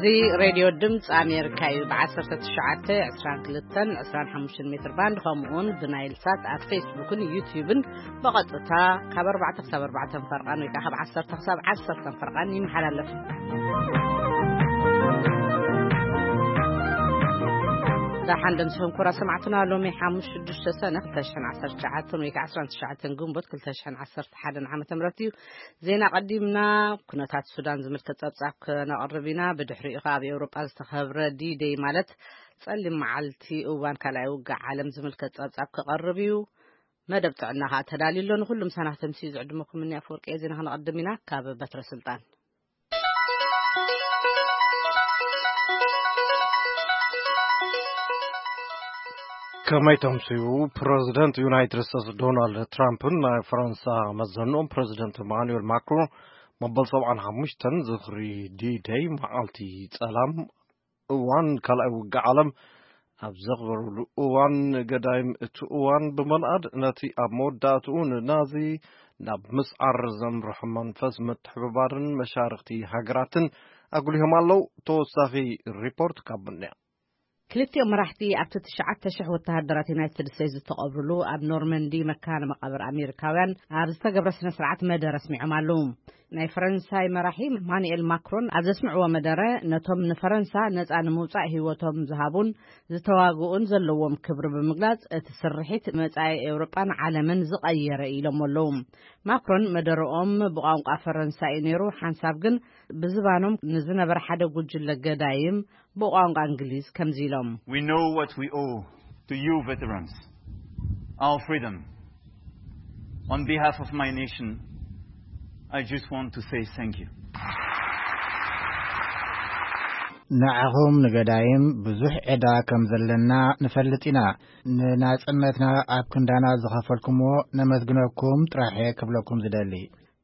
እዚ ሬድዮ ድምፂ ኣሜሪካ እዩ። ብ1922-25 ሜትር ባንድ፣ ከምኡውን ብናይል ሳት ኣብ ፌስቡክን ዩቲዩብን ብቐጥታ ካብ ኣርባዕተ ክሳብ ኣርባዕተ ፈርቓን ወይ ከዓ ካብ ዓሰርተ ክሳብ ዓሰርተ ፈርቓን ይመሓላለፍ። ደሓን ደምስኹም ክቡራት ሰማዕትና፣ ሎሚ ሓሙስ ሽዱሽተ ሰነ ክልተ ሽሕን ዓሰርተ ትሽዓተን ወይ ከዓ ዓሰርተ ትሽዓተ ግንቦት ክልተ ሽሕን ዓሰርተ ሓደን ዓመተ ምህረት እዩ። ዜና ቀዲምና ኩነታት ሱዳን ዝምልከት ጸብጻብ ክነቕርብ ኢና። ብድሕሪኡ ከኣ ኣብ ኤውሮጳ ዝተኸብረ ዲ-ደይ ማለት ጸሊም መዓልቲ እዋን ካልኣይ ውግእ ዓለም ዝምልከት ጸብጻብ ክቐርብ እዩ። መደብ ጥዕና ከኣ ተዳልዩ ኣሎ። ንኹሉ ምሳና ከተምስዩ ዝዕድመኩም እኒ ኣፈወርቂ እየ። ዜና ክነቐድም ኢና። ካብ በትረ ስልጣን። ከመይ ተምስዩ? ፕረዚደንት ዩናይትድ ስቴትስ ዶናልድ ትራምፕን ናይ ፈረንሳ መዘንኦም ፕረዚደንት ኢማኑኤል ማክሮን መበል ሰብዓን ሓሙሽተን ዝኽሪ ዲ-ደይ መዓልቲ ጸላም እዋን ካልኣይ ውግእ ዓለም ኣብ ዘኽበሩሉ እዋን፣ ገዳይም እቲ እዋን ብምልኣድ ነቲ ኣብ መወዳእትኡ ንናዚ ናብ ምስዓር ዘምርሖ መንፈስ ምትሕብባርን መሻርኽቲ ሃገራትን ኣጉሊሆም ኣለዉ። ተወሳኺ ሪፖርት ካብ ምንያ። ክልቲኦም መራሕቲ ኣብቲ ትሽዓተ ሽሕ ወተሃደራት ዩናይትድ ስቴትስ ዝተቐብሩሉ ኣብ ኖርመንዲ መካነ መቓብር ኣሜሪካውያን ኣብ ዝተገብረ ስነ ስርዓት መደረ ኣስሚዖም ኣለዉ። ናይ ፈረንሳይ መራሒ ኢማኑኤል ማክሮን ኣብ ዘስምዕዎ መደረ፣ ነቶም ንፈረንሳ ነጻ ንምውጻእ ህይወቶም ዝሃቡን ዝተዋግኡን ዘለዎም ክብሪ ብምግላጽ፣ እቲ ስርሒት መጻኢ ኤውሮጳን ዓለምን ዝቐየረ ኢሎም ኣለዉ። ማክሮን መደረኦም ብቋንቋ ፈረንሳ እዩ ነይሩ። ሓንሳብ ግን ብዝባኖም ንዝነበረ ሓደ ጉጅለ ገዳይም ብቋንቋ እንግሊዝ ከምዚ ኢሎም። We know what we owe to you veterans, our freedom. On behalf of my nation, I just want to say thank you. ንዓኹም ንገዳይም ብዙሕ ዕዳ ከም ዘለና ንፈልጥ ኢና። ንናጽነትና ኣብ ክንዳና ዝኸፈልኩምዎ ነመስግነኩም ጥራሐ ክብለኩም ዝደሊ።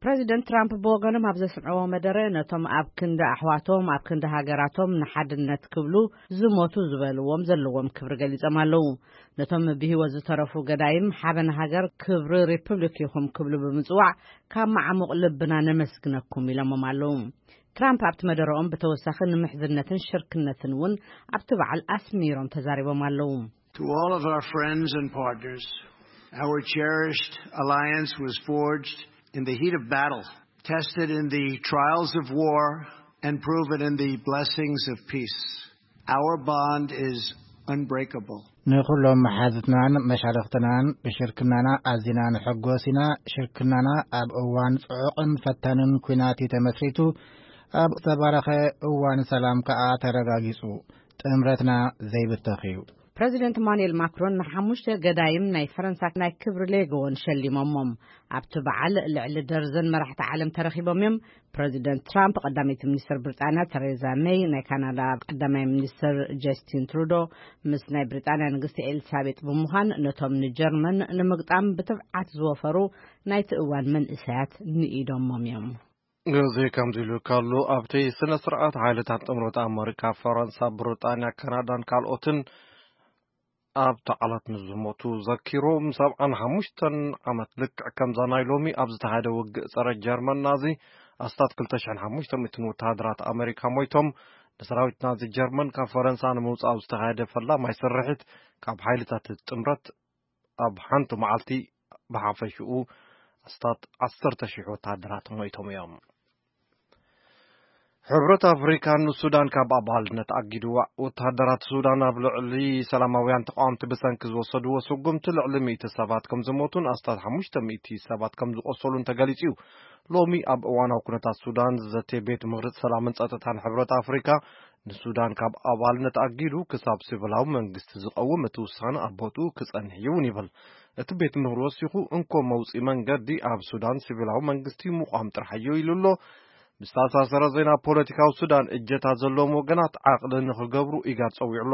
ፕረዚደንት ትራምፕ ብወገኖም ኣብ ዘስምዕዎ መደረ፣ ነቶም ኣብ ክንዲ ኣሕዋቶም፣ ኣብ ክንዲ ሃገራቶም ንሓድነት ክብሉ ዝሞቱ ዝበልዎም ዘለዎም ክብሪ ገሊጾም ኣለዉ። ነቶም ብህይወት ዝተረፉ ገዳይም ሓበን ሃገር ክብሪ ሪፑብሊክ ኢኹም ክብሉ ብምጽዋዕ ካብ መዓሙቕ ልብና ነመስግነኩም ኢሎሞም ኣለዉ። ትራምፕ ኣብቲ መደረኦም ብተወሳኺ ንምሕዝነትን ሽርክነትን እውን ኣብቲ በዓል ኣስሚሮም ተዛሪቦም ኣለዉ። To all of our friends and partners, our cherished alliance was forged in the heat of battle, tested in the trials of war, and proven in the blessings of peace. Our bond is unbreakable. ንኹሎም መሓዙትናን መሻርኽትናን ብሽርክናና ኣዚና ንሕጎስ ኢና። ሽርክናና ኣብ እዋን ጽዑቕን ፈታንን ኲናት እዩ ተመስሪቱ። ኣብ ዝተባረኸ እዋን ሰላም ከኣ ተረጋጊጹ። ጥምረትና ዘይብተኽ እዩ። ፕረዚደንት ኢማኑኤል ማክሮን ንሓሙሽተ ገዳይም ናይ ፈረንሳ ናይ ክብሪ ሌጎን ሸሊሞሞም። ኣብቲ በዓል ልዕሊ ደርዘን መራሕቲ ዓለም ተረኺቦም እዮም። ፕረዚደንት ትራምፕ፣ ቀዳመይቲ ሚኒስትር ብሪጣንያ ተሬዛ ሜይ፣ ናይ ካናዳ ቀዳማይ ሚኒስትር ጀስቲን ትሩዶ ምስ ናይ ብሪጣንያ ንግስቲ ኤልሳቤጥ ብምዃን፣ ነቶም ንጀርመን ንምግጣም ብትብዓት ዝወፈሩ ናይቲ እዋን መንእሰያት ንኢዶሞም እዮም። እዚ ከምዚ ኢሉ ከሎ፣ ኣብቲ ስነ ስርዓት ሓይልታት ጥምረት ኣመሪካ፣ ፈረንሳ፣ ብሪጣንያ፣ ካናዳን ካልኦትን ኣብቲ ዓላት ንዝሞቱ ዘኪሩ፣ ም ሰብዓን ሓሙሽተን ዓመት ልክዕ ከምዛ ናይ ሎሚ ኣብ ዝተኻየደ ውግእ ጸረ ጀርመን ናዚ፣ ኣስታት ክልተ ሽሕን ሓሙሽተ ሚእትን ወተሃደራት ኣመሪካ ሞይቶም። ንሰራዊት ናዚ ጀርመን ካብ ፈረንሳ ንምውጻእ ኣብ ዝተኻየደ ፈላማይ ስርሒት፣ ካብ ሓይልታት ጥምረት ኣብ ሓንቲ መዓልቲ ብሓፈሽኡ ኣስታት ዓሰርተ ሽሕ ወተሃደራት ሞይቶም እዮም። ሕብረት ኣፍሪካ ንሱዳን ካብ ኣባልነት ኣጊድዋ። ወተሃደራት ሱዳን ኣብ ልዕሊ ሰላማውያን ተቃወምቲ ብሰንኪ ዝወሰድዎ ስጉምቲ ልዕሊ ሚእቲ ሰባት ከም ዝሞቱን ኣስታት ሓሙሽተ ሚእቲ ሰባት ከም ዝቆሰሉን ተገሊጹ እዩ። ሎሚ ኣብ እዋናዊ ኩነታት ሱዳን ዝዘትየ ቤት ምኽሪ ሰላምን ጸጥታን ሕብረት ኣፍሪካ፣ ንሱዳን ካብ ኣባልነት ኣጊዱ ክሳብ ሲቪላዊ መንግስቲ ዝቐውም እቲ ውሳነ ኣብ ቦትኡ ክጸንሕ እዩ እውን ይብል። እቲ ቤት ምኽሪ ወሲኹ፣ እንኮ መውጽኢ መንገዲ ኣብ ሱዳን ሲቪላዊ መንግስቲ ምቋም ጥራሕ እዩ ኢሉ ኣሎ። ብዝተኣሳሰረ ዜና፣ ፖለቲካዊ ሱዳን እጀታ ዘለዎም ወገናት ዓቕሊ ንኽገብሩ ኢጋድ ጸዊዑ ኣሎ።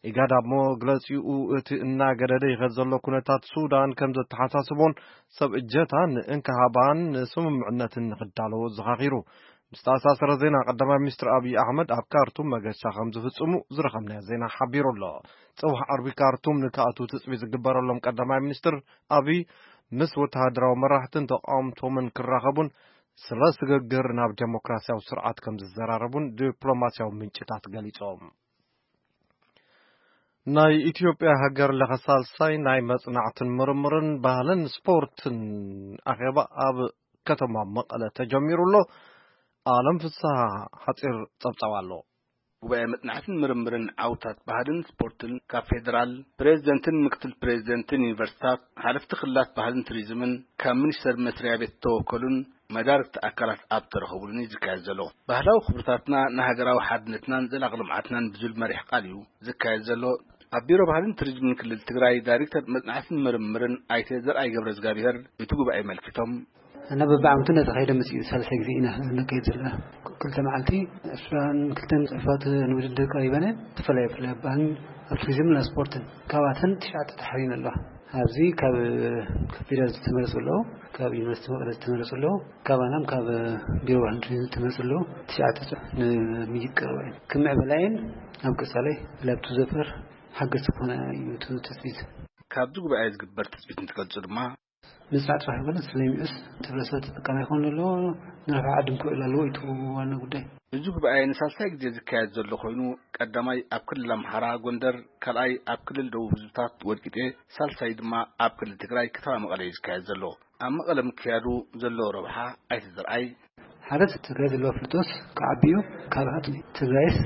ኢጋድ ኣብ መግለጺኡ፣ እቲ እናገደደ ይኸድ ዘሎ ኩነታት ሱዳን ከም ዘተሓሳስቦን ሰብ እጀታ ንእንክሃባን ንስምምዕነትን ንኽዳለዎ ዘኻኺሩ። ብዝተኣሳሰረ ዜና፣ ቀዳማይ ሚኒስትር ኣብይ ኣሕመድ ኣብ ካርቱም መገሻ ከም ዝፍጽሙ ዝረኸብናዮ ዜና ሓቢሩ ኣሎ። ጽባሕ ዓርቢ ካርቱም ንክኣትዉ ትጽቢት ዝግበረሎም ቀዳማይ ሚኒስትር ኣብይ ምስ ወተሃደራዊ መራሕትን ተቃወምቶምን ክራኸቡን ስለ ስግግር ናብ ዴሞክራሲያዊ ስርዓት ከም ዝዘራረቡን ዲፕሎማሲያዊ ምንጭታት ገሊጾም። ናይ ኢትዮጵያ ሃገር ለኸ ሳልሳይ ናይ መጽናዕትን ምርምርን ባህልን ስፖርትን ኣኼባ ኣብ ከተማ መቐለ ተጀሚሩ ኣሎ። ኣለም ፍስሃ ሓጺር ጸብጻብ ኣሎ። ጉባኤ መጽናዕትን ምርምርን ዓውታት ባህልን ስፖርትን ካብ ፌደራል ፕሬዝደንትን ምክትል ፕሬዝደንትን ዩኒቨርሲታት፣ ሓለፍቲ ክልላት ባህልን ቱሪዝምን፣ ካብ ሚኒስተር መስሪያ ቤት ዝተወከሉን መዳርግቲ ኣካላት ኣብ ተረኸቡሉን እዩ ዝካየድ ዘሎ። ባህላዊ ክብርታትና ንሃገራዊ ሓድነትናን ዘላቂ ልምዓትናን ብዝብል መሪሕ ቃል እዩ ዝካየድ ዘሎ። ኣብ ቢሮ ባህልን ቱሪዝምን ክልል ትግራይ ዳይሬክተር መጽናዕትን ምርምርን ኣይተ ዘርኣይ ገብረ እግዚኣብሔር እቲ ጉባኤ መልኪቶም፣ እና በብዓመቱ እናተኻየደ መፂኡ። ሳልሳይ ግዜ ኢና ነካይድ ዘለና። ክልተ መዓልቲ ዕስራን ክልተን ፅሑፋት ንውድድር ቀሪበን እየን። ብፍላይ ብፍላይ ኣብ ባህልን ኣብ ቱሪዝምን ኣብ ስፖርትን ካብኣተን ትሽዓተ ተሓሪን ኣለዋ። ኣብዚ ካብ ፌደራል ዝተመረፁ ኣለዉ፣ ካብ ዩኒቨርሲቲ መቐለ ዝተመረፁ ኣለዉ፣ ካባናም ካብ ቢሮ ባህልን ቱሪዝም ዝተመረፁ ኣለዉ። ትሽዓተ ፅሑፍ ንምይይጥ ቀሪበን እየን። ክምዕበላ እየን። ኣብ ቀፃላይ ብፍላይ ኣብቲ ዘፈር ሓገዝቲ ክኾና እዩ እቲ ትፅቢት። ካብዚ ጉባኤ ዝግበር ትፅቢት እንትገልፁ ድማ፣ ምፅናዕ ጥራሕ ኣይኮነስ ስለሚዑስ ሕብረተሰብ ተጠቃሚ ይኸውን ኣለዎ፣ ንረብሓ ዓዲ ክውዕል ኣለዎ እዩ እቲ ዋና ጉዳይ። እዚ ጉባኤ ንሳልሳይ ግዜ ዝካየድ ዘሎ ኮይኑ፣ ቀዳማይ ኣብ ክልል ኣምሓራ ጎንደር፣ ካልኣይ ኣብ ክልል ደቡብ ህዝብታት ወልቂጤ፣ ሳልሳይ ድማ ኣብ ክልል ትግራይ ከተማ መቐለ እዩ ዝካየድ ዘሎ። ኣብ መቐለ ምክያዱ ዘለዎ ረብሓ ኣይተ ዘርኣይ፣ ሓደ ትግራይ ዘለዋ ፍልጦስ ክዓቢ እዩ። ካልኣት ትግራይስ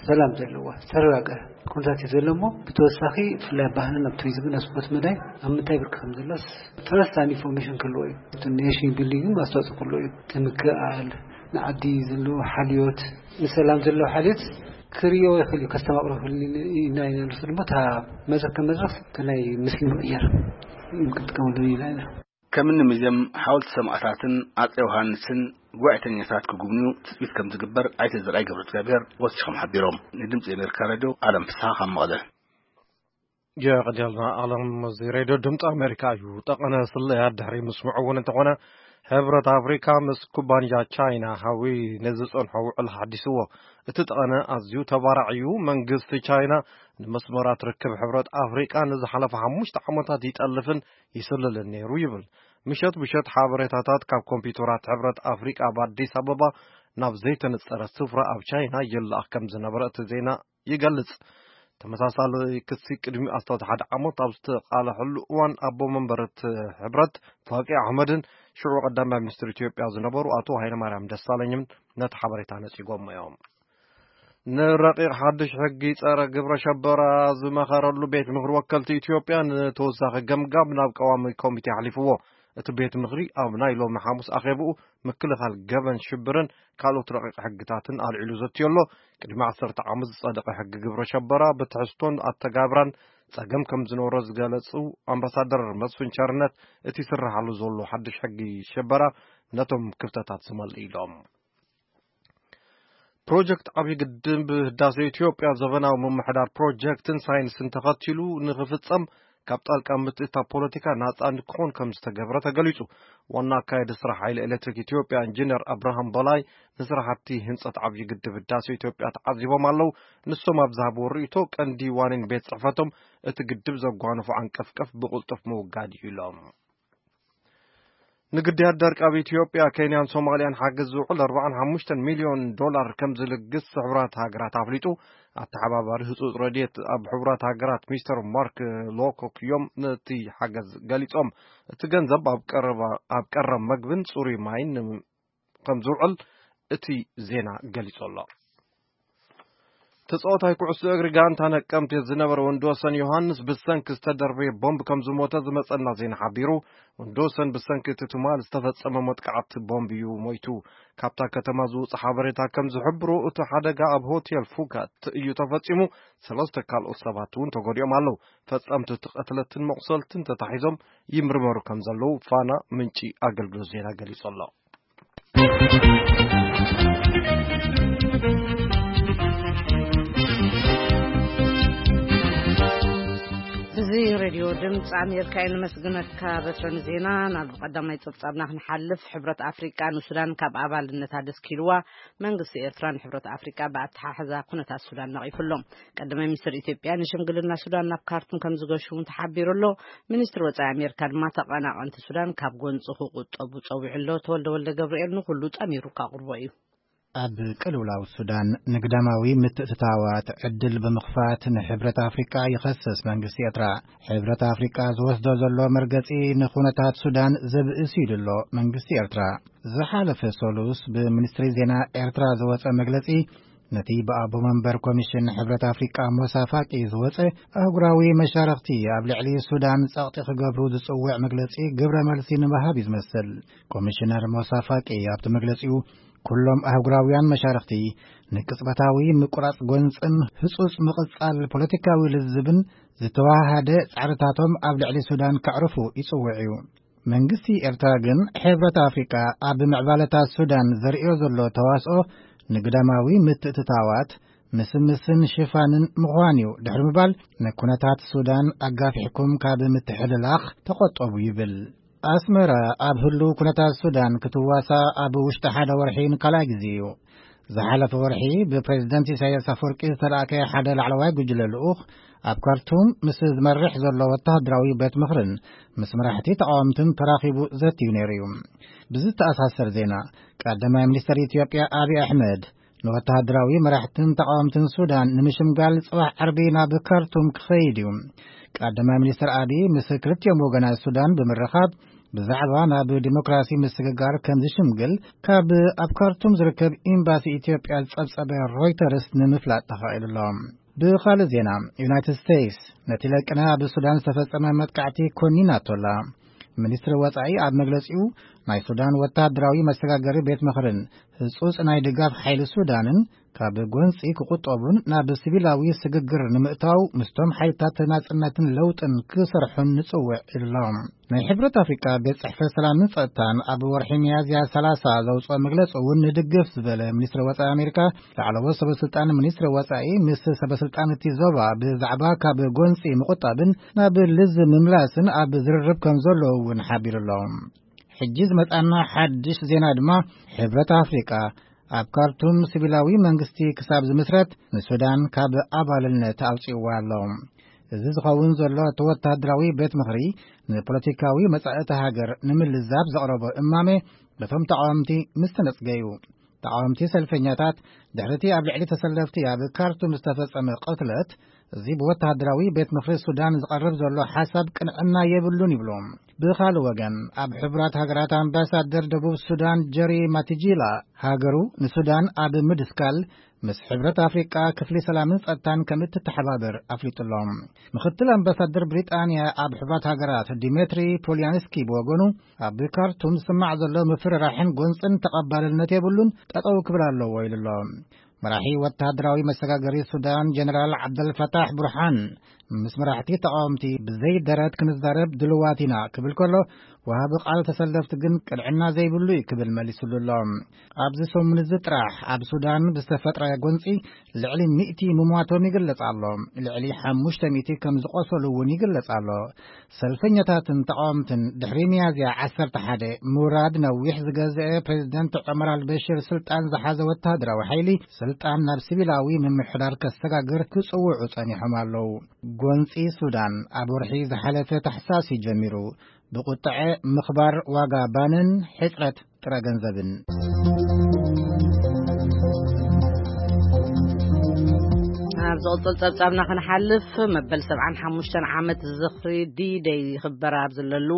ሰላም ዘለዋ ዝተረጋገ ኩነታት እዩ ዘሎ እሞ፣ ብተወሳኺ ብፍላይ ኣብ ባህልን ኣብ ቱሪዝምን ኣብ ስፖርት መዳይ ኣብ ምንታይ ብርኪ ከም ዘላስ ተረስታን ኢንፎርሜሽን ክህልዎ እዩ። እቲ ኔሽን ቢልዲንግ ግን ኣስተዋፅኦ ክህልዎ እዩ። እቲ ምክእኣል ንዓዲ ዘለዎ ሓልዮት፣ ንሰላም ዘለዎ ሓልዮት ክርእዮ ይኽእል እዩ፣ ከስተማቕሮ ይኽእል እዩ። ኢና ኢና ንሱ ድማ እታ መድረኽ ከም መድረኽ እቲ ናይ ምስሊ ምቕያር ክንጥቀመሉ ኢና ኢና። ከምኒ ሙዚየም ሓወልቲ ሰማእታትን ኣፀ ዮሃንስን ጉባኤተኛታት ክጉብንዩ ትፅቢት ከም ዝግበር ኣይተ ዘርኣይ ገብረ እግዚኣብሔር ወሲኾም ሓቢሮም። ንድምፂ ኣሜሪካ ሬድዮ ኣለም ፍስሓ ካብ መቐለ። የቐዲልና ኣለም። እዚ ሬድዮ ድምፂ ኣሜሪካ እዩ። ጠቐነ ስለያ ድሕሪ ምስምዑ እውን እንተኾነ፣ ሕብረት ኣፍሪካ ምስ ኩባንያ ቻይና ሃዊ ንዝፀንሖ ውዕል ሓዲስዎ። እቲ ጠቐነ ኣዝዩ ተባራዕ እዩ። መንግስቲ ቻይና ንመስመራት ርክብ ሕብረት ኣፍሪቃ ንዝሓለፈ ሓሙሽተ ዓመታት ይጠልፍን ይስልልን ነይሩ ይብል። ምሸት ምሸት ሓበሬታታት ካብ ኮምፒውተራት ሕብረት ኣፍሪቃ ኣብ ኣዲስ ኣበባ ናብ ዘይተነጸረ ስፍራ ኣብ ቻይና ይለኣኽ ከም ዝነበረ እቲ ዜና ይገልጽ። ተመሳሳሊ ክሲ ቅድሚ ኣስታት ሓደ ዓመት ኣብ ዝተቓለሐሉ እዋን ኣቦ መንበር እቲ ሕብረት ፋቂ ኣሕመድን ሽዑ ቀዳማይ ሚኒስትር ኢትዮጵያ ዝነበሩ ኣቶ ሃይለማርያም ደሳለኝን ነቲ ሓበሬታ ነጺጎሞ እዮም። ንረቂቕ ሓድሽ ሕጊ ጸረ ግብረ ሸበራ ዝመኸረሉ ቤት ምኽሪ ወከልቲ ኢትዮጵያ ንተወሳኺ ገምጋም ናብ ቀዋሚ ኮሚቴ ኣሕሊፍዎ። እቲ ቤት ምኽሪ ኣብ ናይ ሎሚ ሓሙስ ኣኼብኡ ምክልኻል ገበን ሽብርን ካልኦት ረቂቕ ሕግታትን ኣልዒሉ ዘትዮ ኣሎ። ቅድሚ ዓሰርተ ዓመት ዝጸደቐ ሕጊ ግብረ ሸበራ ብትሕዝቶን ኣተጋብራን ጸገም ከም ዝነበሮ ዝገለጹ ኣምባሳደር መስፍን ቸርነት፣ እቲ ይስረሓሉ ዘሎ ሓድሽ ሕጊ ሸበራ ነቶም ክፍተታት ዝመልእ ኢሎም። ፕሮጀክት ዓብዪ ግድብ ህዳሴ ኢትዮጵያ ዘበናዊ ምምሕዳር ፕሮጀክትን ሳይንስን ተኸቲሉ ንኽፍጸም ካብ ጣልቃ ምትእትታው ፖለቲካ ናጻ ንክኾን ከም ዝተገብረ ተገሊጹ። ዋና ኣካያዲ ስራሕ ሓይሊ ኤሌክትሪክ ኢትዮጵያ ኢንጂነር ኣብርሃም በላይ ንስራሕቲ ህንጸት ዓብዪ ግድብ ህዳሴ ኢትዮጵያ ተዓዚቦም ኣለዉ። ንሶም ኣብ ዝሃብዎ ርእይቶ ቀንዲ ዋኒን ቤት ጽሕፈቶም እቲ ግድብ ዘጓነፎ ዓንቀፍቀፍ ብቕልጡፍ ምውጋድ እዩ ኢሎም። ንግዳያት ደርቂ ኣብ ኢትዮጵያ፣ ኬንያን ሶማልያን ሓገዝ ዝውዕል ኣርባዓን ሓሙሽተን ሚልዮን ዶላር ከም ዝልግስ ሕቡራት ሃገራት ኣፍሊጡ። ኣተሓባባሪ ህጹጽ ረድኤት ኣብ ሕቡራት ሃገራት ሚስተር ማርክ ሎኮክ እዮም ነቲ ሓገዝ ገሊጾም። እቲ ገንዘብ ኣብ ቀረባ-፣ ኣብ ቀረብ መግብን ጽሩይ ማይን ከም ዝውዕል እቲ ዜና ገሊጹ ኣሎ። ተጻዋታይ ኩዕሶ እግሪ ጋንታ ነቀምቴ ዝነበረ ወንድወሰን ዮሃንስ ብሰንኪ ዝተደርበየ ቦምብ ከም ዝሞተ ዝመጸና ዜና ሓቢሩ። ወንድወሰን ብሰንኪ እቲ ትማል ዝተፈጸመ መጥቃዕቲ ቦምብ እዩ ሞይቱ። ካብታ ከተማ ዝወጽእ ሓበሬታ ከም ዝሕብሮ፣ እቲ ሓደጋ ኣብ ሆቴል ፉካት እዩ ተፈጺሙ። ሰለስተ ካልኦት ሰባት እውን ተጎዲኦም ኣለዉ። ፈጸምቲ እቲ ቅትለትን መቑሰልትን ተታሒዞም ይምርመሩ ከም ዘለዉ ፋና ምንጪ ኣገልግሎት ዜና ገሊጹ ኣሎ። እዚ ሬድዮ ድምፂ ኣሜሪካ እየ። ንመስግነካ በትረን ዜና። ናብ ቀዳማይ ጸብጻብና ክንሓልፍ፣ ሕብረት ኣፍሪቃ ንሱዳን ካብ ኣባልነታ ደስኪልዋ፣ መንግስቲ ኤርትራ ንሕብረት ኣፍሪቃ ብኣተሓሕዛ ኩነታት ሱዳን ነቒፉ ኣሎ። ቀዳማይ ሚኒስትር ኢትዮጵያ ንሽምግልና ሱዳን ናብ ካርቱም ከም ዝገሹ እውን ተሓቢሩ ኣሎ። ሚኒስትር ወጻኢ ኣሜሪካ ድማ ተቐናቐንቲ ሱዳን ካብ ጎንፂ ክቁጠቡ ጸዊዑ ኣሎ። ተወልደ ወልደ ገብርኤል ንኹሉ ጠሚሩ ካቕርቦ እዩ። ኣብ ቅልውላው ሱዳን ንግዳማዊ ምትእትታዋት ዕድል ብምኽፋት ንሕብረት ኣፍሪቃ ይኸስስ መንግስቲ ኤርትራ። ሕብረት ኣፍሪቃ ዝወስዶ ዘሎ መርገጺ ንኹነታት ሱዳን ዘብእስ ኢሉ ኣሎ መንግስቲ ኤርትራ። ዝሓለፈ ሰሉስ ብሚኒስትሪ ዜና ኤርትራ ዝወጸ መግለጺ፣ ነቲ ብኣቦ መንበር ኮሚሽን ሕብረት ኣፍሪቃ ሞሳ ፋቂ ዝወጸ ኣህጉራዊ መሻርኽቲ ኣብ ልዕሊ ሱዳን ጸቕጢ ክገብሩ ዝጽውዕ መግለጺ ግብረ መልሲ ንምሃብ እዩ ዝመስል። ኮሚሽነር ሞሳ ፋቂ ኣብቲ መግለጺኡ፣ ኩሎም ኣህጉራውያን መሻርኽቲ ንቅጽበታዊ ምቁራጽ ጎንጽን ህጹጽ ምቕጻል ፖለቲካዊ ልዝብን ዝተዋሃደ ጻዕርታቶም ኣብ ልዕሊ ሱዳን ከዕርፉ ይጽውዕ እዩ። መንግስቲ ኤርትራ ግን ሕብረት ኣፍሪቃ ኣብ ምዕባለታት ሱዳን ዘርእዮ ዘሎ ተዋስኦ ንግዳማዊ ምትእትታዋት ምስምስን ሽፋንን ምዃን እዩ ድሕሪ ምባል፣ ንኩነታት ሱዳን ኣጋፊሕኩም ካብ ምትሕልላኽ ተቖጠቡ ይብል። ኣስመራ ኣብ ህሉው ኩነታት ሱዳን ክትዋሳ ኣብ ውሽጢ ሓደ ወርሒ ንካልኣይ ግዜ እዩ። ዝሓለፈ ወርሒ ብፕሬዝደንት ኢሳያስ ኣፈወርቂ ዝተላእከ ሓደ ላዕለዋይ ጉጅለ ልኡኽ ኣብ ካርቱም ምስ ዝመርሕ ዘሎ ወተሃደራዊ ቤት ምኽርን ምስ መራሕቲ ተቓወምትን ተራኺቡ ዘትዩ ነይሩ እዩ። ብዝተኣሳሰር ዜና፣ ቀዳማይ ሚኒስተር ኢትዮጵያ ኣብይ ኣሕመድ ንወተሃደራዊ መራሕትን ተቓወምትን ሱዳን ንምሽምጋል ጽባሕ ዓርቢ ናብ ካርቱም ክኸይድ እዩ። ቀዳማይ ሚኒስተር ኣብይ ምስ ክልቲኦም ወገናት ሱዳን ብምርኻብ ብዛዕባ ናብ ዲሞክራሲ ምስግጋር ከም ዝሽምግል ካብ ኣብ ካርቱም ዝርከብ ኤምባሲ ኢትዮጵያ ዝጸብጸበ ሮይተርስ ንምፍላጥ ተኻኢሉ ኣሎ። ብኻልእ ዜና፣ ዩናይትድ ስቴትስ ነቲ ለቅነ ኣብ ሱዳን ዝተፈጸመ መጥቃዕቲ ኮኒናቶ ኣላ። ሚኒስትሪ ወጻኢ ኣብ መግለጺኡ፣ ናይ ሱዳን ወተሃደራዊ መሰጋገሪ ቤት ምኽርን ህጹጽ ናይ ድጋፍ ሓይሊ ሱዳንን ካብ ጎንጺ ክቑጠቡን ናብ ሲቪላዊ ስግግር ንምእታው ምስቶም ሓይልታት ናጽነትን ለውጥን ክሰርሑን ንጽውዕ ኢሉ ኣሎ። ናይ ሕብረት ኣፍሪቃ ቤት ጽሕፈት ሰላምን ጸጥታን ኣብ ወርሒ ሚያዝያ ሰላሳ ዘውጽኦ መግለጺ እውን ንድግፍ ዝበለ ሚኒስትሪ ወጻኢ ኣሜሪካ፣ ላዕለዎት ሰበስልጣን ሚኒስትሪ ወጻኢ ምስ ሰበስልጣን እቲ ዞባ ብዛዕባ ካብ ጎንጺ ምቑጣብን ናብ ልዝብ ምምላስን ኣብ ዝርርብ ከም ዘለዉ እውን ሓቢሩ ኣሎ። ሕጂ ዝመጻና ሓድሽ ዜና ድማ፣ ሕብረት ኣፍሪቃ ኣብ ካርቱም ሲቪላዊ መንግስቲ ክሳብ ዝምስረት ንሱዳን ካብ ኣባልነት ኣውጺእዋ ኣሎ። እዚ ዝኸውን ዘሎ፣ እቲ ወተሃደራዊ ቤት ምኽሪ ንፖለቲካዊ መጻኢ እታ ሃገር ንምልዛብ ዘቕረቦ እማመ በቶም ተቓወምቲ ምስ ተነጽገ እዩ። ተቓወምቲ ሰልፈኛታት፣ ድሕሪ እቲ ኣብ ልዕሊ ተሰለፍቲ ኣብ ካርቱም ዝተፈጸመ ቅትለት፣ እዚ ብወተሃደራዊ ቤት ምኽሪ ሱዳን ዝቐርብ ዘሎ ሓሳብ ቅንዕና የብሉን ይብሉ። ብኻልእ ወገን፣ ኣብ ሕቡራት ሃገራት ኣምባሳደር ደቡብ ሱዳን ጀሪ ማቲጂላ፣ ሃገሩ ንሱዳን ኣብ ምድስካል ምስ ሕብረት ኣፍሪቃ ክፍሊ ሰላምን ጸጥታን ከም እትተሓባበር ኣፍሊጡ ኣሎ። ምኽትል ኣምባሳደር ብሪጣንያ ኣብ ሕቡራት ሃገራት ዲሜትሪ ፖሊያንስኪ ብወገኑ፣ ኣብ ካርቱም ዝስማዕ ዘሎ ምፍርራሕን ጎንጽን ተቐባልነት የብሉን፣ ጠጠው ክብል ኣለዎ ኢሉ ኣሎ። መራሒ ወተሃደራዊ መሰጋገሪ ሱዳን ጀነራል ዓብደልፈታሕ ቡርሃን ምስ መራሕቲ ተቓወምቲ ብዘይ ደረት ክንዛረብ ድልዋት ኢና ክብል ከሎ፣ ወሃቢ ቃል ተሰለፍቲ ግን ቅንዕና ዘይብሉ እዩ ክብል መሊሱሉ ኣሎ። ኣብዚ ሰሙን እዚ ጥራሕ ኣብ ሱዳን ብዝተፈጥረ ጎንጺ ልዕሊ ሚእቲ ምሟቶም ይግለጽ ኣሎ። ልዕሊ ሓሙሽተ ሚእቲ ከም ዝቖሰሉ እውን ይግለጽ ኣሎ። ሰልፈኛታትን ተቓወምትን ድሕሪ ሚያዝያ ዓሰርተ ሓደ ምውራድ ነዊሕ ዝገዝአ ፕሬዝደንት ዑመር ኣልበሽር ስልጣን ዝሓዘ ወተሃደራዊ ሓይሊ፣ ስልጣን ናብ ሲቪላዊ ምምሕዳር ከሰጋግር ክጽውዑ ጸኒሖም ኣለዉ። ጎንጺ ሱዳን ኣብ ወርሒ ዝሓለፈ ታሕሳስ እዩ ጀሚሩ። ብቁጥዐ ምኽባር ዋጋ ባንን ሕጽረት ጥረ ገንዘብን። ኣብ ዝቕጽል ጸብጻብና ክንሓልፍ፣ መበል ሰብዓን ሓሙሽተን ዓመት ዝኽሪ ዲ-ደይ ይኽበር ኣብ ዘለሉ፣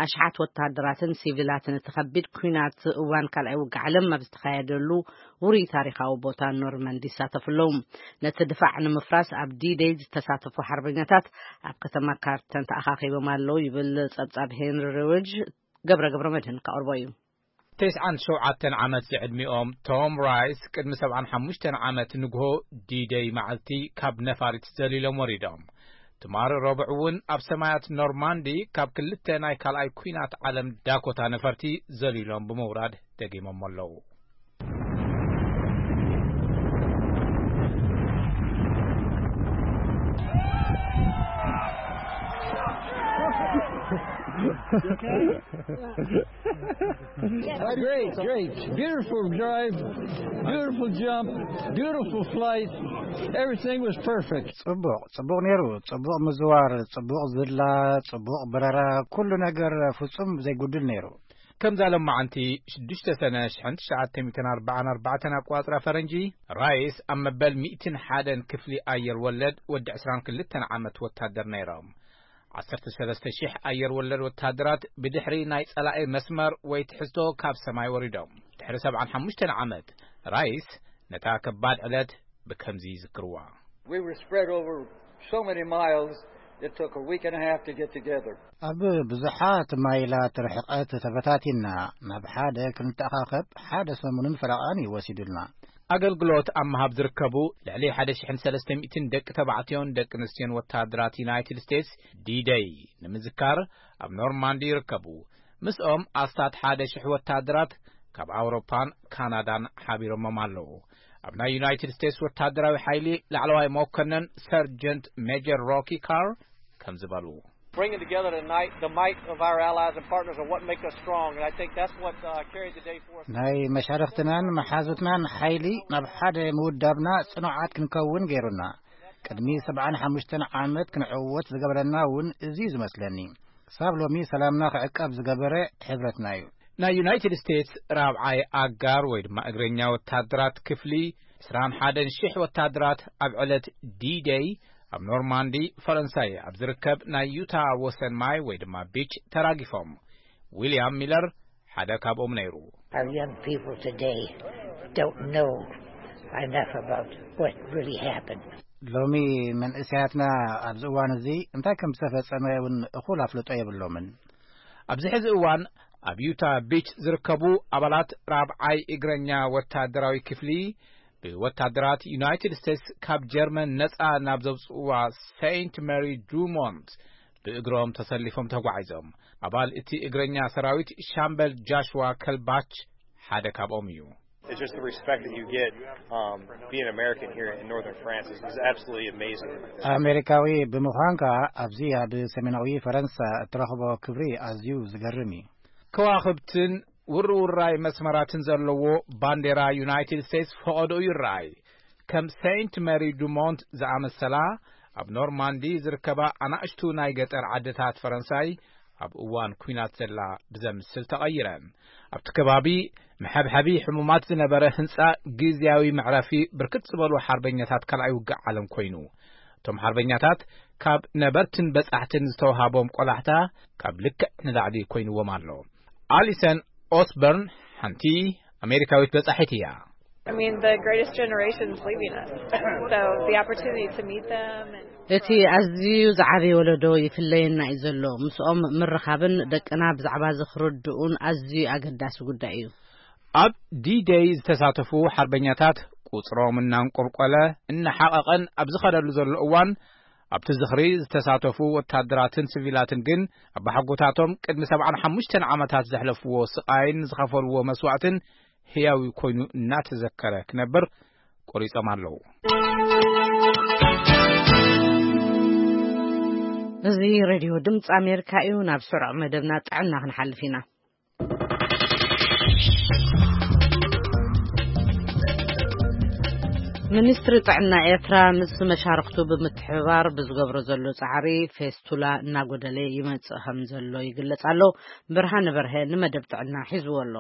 ኣሽሓት ወተሃደራትን ሲቪላትን እቲ ከቢድ ኲናት እዋን ካልኣይ ውግእ ዓለም ኣብ ዝተኻየደሉ ውሩይ ታሪኻዊ ቦታ ኖርመንዲ ይሳተፉ ኣለዉ። ነቲ ድፋዕ ንምፍራስ ኣብ ዲ-ደይ ዝተሳተፉ ሓርበኛታት ኣብ ከተማ ካርተን ተኣኻኺቦም ኣለዉ ይብል ጸብጻብ ሄንሪ ሪውጅ። ገብረ ገብረ መድህን ከቕርቦ እዩ። ተስዓን ሸውዓተን ዓመት ዝዕድሚኦም ቶም ራይስ ቅድሚ ሰብዓን ሓሙሽተን ዓመት ንግሆ ዲ-ደይ መዓልቲ ካብ ነፋሪት ዘሊሎም ወሪዶም። ትማሊ ረቡዕ እውን ኣብ ሰማያት ኖርማንዲ ካብ ክልተ ናይ ካልኣይ ኲናት ዓለም ዳኮታ ነፈርቲ ዘሊሎም ብምውራድ ደጊሞም ኣለዉ። Great, great. Beautiful drive, beautiful jump, beautiful flight. Everything was perfect. ጽቡቕ፣ ጽቡቕ ነይሩ። ጽቡቕ ምዝዋር፣ ጽቡቕ ዝላ፣ ጽቡቕ በረራ፣ ኩሉ ነገር ፍጹም ዘይጉድል ነይሩ። ከምዛ ሎማዓንቲ ሽዱሽተ ሰነ ሽሕን ትሽዓተ ሚእትን ኣርባዓን ኣርባዕተን ኣቆጻጽራ ፈረንጂ፣ ራይስ ኣብ መበል ሚእትን ሓደን ክፍሊ ኣየር ወለድ ወዲ ዕስራን ክልተን ዓመት ወታደር ነይሮም። ዓሰርተ ሰለስተ ሽሕ ኣየር ወለድ ወታደራት ብድሕሪ ናይ ጸላኢ መስመር ወይ ትሕዝቶ ካብ ሰማይ ወሪዶም። ድሕሪ ሰብዓን ሓሙሽተን ዓመት፣ ራይስ ነታ ከባድ ዕለት ብከምዚ ይዝክርዋ። We were spread over so many miles, it took a week and a half to get together. ኣብ ብዙሓት ማይላት ርሕቀት ተበታቲና፣ ናብ ሓደ ክንተኣኻኸብ ሓደ ሰሙንን ፈረቓን እዩ ወሲዱልና። ኣገልግሎት ኣብ ምሃብ ዝርከቡ ልዕሊ ሓደ ሽሕን ሰለስተ ሚእትን ደቂ ተባዕትዮን ደቂ ኣንስትዮን ወታደራት ዩናይትድ ስቴትስ ዲደይ ንምዝካር ኣብ ኖርማንዲ ይርከቡ። ምስኦም ኣስታት ሓደ ሽሕ ወታደራት ካብ ኣውሮፓን ካናዳን ሓቢሮሞም ኣለዉ። ኣብ ናይ ዩናይትድ ስቴትስ ወታደራዊ ሓይሊ ላዕለዋይ መኮነን ሰርጀንት ሜጀር ሮኪ ካር ከም ዝበሉ። Bringing together tonight the might of our allies and partners are what make us strong, and I think that's what uh, carried the day for us. ናይ መሻርኽትናን መሓዙትናን ሓይሊ ናብ ሓደ ምውዳብና ጽኑዓት ክንከውን ገይሩና። ቅድሚ ሰብዓን ሓሙሽተን ዓመት ክንዕወት ዝገበረና እውን እዚ እዩ ዝመስለኒ። ክሳብ ሎሚ ሰላምና ክዕቀብ ዝገበረ ሕብረትና እዩ። ናይ ዩናይትድ ስቴትስ ራብዓይ ኣጋር ወይ ድማ እግረኛ ወታደራት ክፍሊ ዕስራን ሓደን ሽሕ ወታደራት ኣብ ዕለት ዲደይ ኣብ ኖርማንዲ ፈረንሳይ ኣብ ዝርከብ ናይ ዩታ ወሰን ማይ ወይ ድማ ቢች ተራጊፎም። ዊልያም ሚለር ሓደ ካብኦም ነይሩ። Our young people today don't know enough about what really happened. ሎሚ መንእሰያትና ኣብዚ እዋን እዚ እንታይ ከም ዝተፈጸመ እውን እኹል ኣፍልጦ የብሎምን። ኣብዚ ሕዚ እዋን ኣብ ዩታ ቢች ዝርከቡ ኣባላት ራብዓይ እግረኛ ወታደራዊ ክፍሊ ብወታደራት ዩናይትድ ስቴትስ ካብ ጀርመን ነጻ ናብ ዘውጽእዋ ሴንት ሜሪ ዱሞንት ብእግሮም ተሰሊፎም ተጓዒዞም። ኣባል እቲ እግረኛ ሰራዊት ሻምበል ጃሽዋ ከልባች ሓደ ካብኦም እዩ። It's just the respect that you get um, being American here in northern France is, is absolutely amazing. ኣሜሪካዊ ብምዃንካ ኣብዚ ኣብ ሰሜናዊ ፈረንሳ እትረኽቦ ክብሪ ኣዝዩ ዝገርም እዩ። ከዋኽብትን ውርውራይ መስመራትን ዘለዎ ባንዴራ ዩናይትድ ስቴትስ ፈቐዶኡ ይረኣይ። ከም ሴንት ሜሪ ዱሞንት ዝኣመሰላ ኣብ ኖርማንዲ ዝርከባ ኣናእሽቱ ናይ ገጠር ዓድታት ፈረንሳይ ኣብ እዋን ኲናት ዘላ ብዘምስል ተቐይረን። ኣብቲ ከባቢ መሐብሐቢ ሕሙማት ዝነበረ ህንጻ ግዝያዊ መዕረፊ ብርክት ዝበሉ ሓርበኛታት ካልኣይ ውግእ ዓለም ኮይኑ። እቶም ሓርበኛታት ካብ ነበርትን በጻሕትን ዝተውሃቦም ቆላሕታ ካብ ልክዕ ንላዕሊ ኮይንዎም ኣሎ። ኣሊሰን ኦስበርን ሓንቲ ኣሜሪካዊት በጻሒት እያ። I mean, the greatest generation's leaving us. So the opportunity to meet them and እቲ ኣዝዩ ዝዓበየ ወለዶ ይፍለየና እዩ ዘሎ። ምስኦም ምርኻብን ደቅና ብዛዕባ እዚ ክርድኡን ኣዝዩ ኣገዳሲ ጉዳይ እዩ። ኣብ ዲደይ ዝተሳተፉ ሓርበኛታት ቁጽሮም እናንቆልቆለ እናሓቐቐን ኣብ ዝኸደሉ ዘሎ እዋን፣ ኣብቲ ዝኽሪ ዝተሳተፉ ወታደራትን ሲቪላትን ግን ኣባሓጎታቶም ቅድሚ ሰብዓን ሓሙሽተን ዓመታት ዘሕለፍዎ ስቓይን ዝኸፈልዎ መስዋእትን ህያዊ ኮይኑ እናተዘከረ ክነብር ቆሪጾም ኣለዉ። እዚ ሬድዮ ድምፂ ኣሜሪካ እዩ። ናብ ስሩዕ መደብና ጥዕና ክንሓልፍ ኢና። ሚኒስትሪ ጥዕና ኤርትራ ምስ መሻርክቱ ብምትሕብባር ብዝገብሮ ዘሎ ጻዕሪ ፌስቱላ እናጎደለ ይመጽእ ከም ዘሎ ይግለጽ ኣሎ። ብርሃነ በርሀ ንመደብ ጥዕና ሒዝዎ ኣሎ።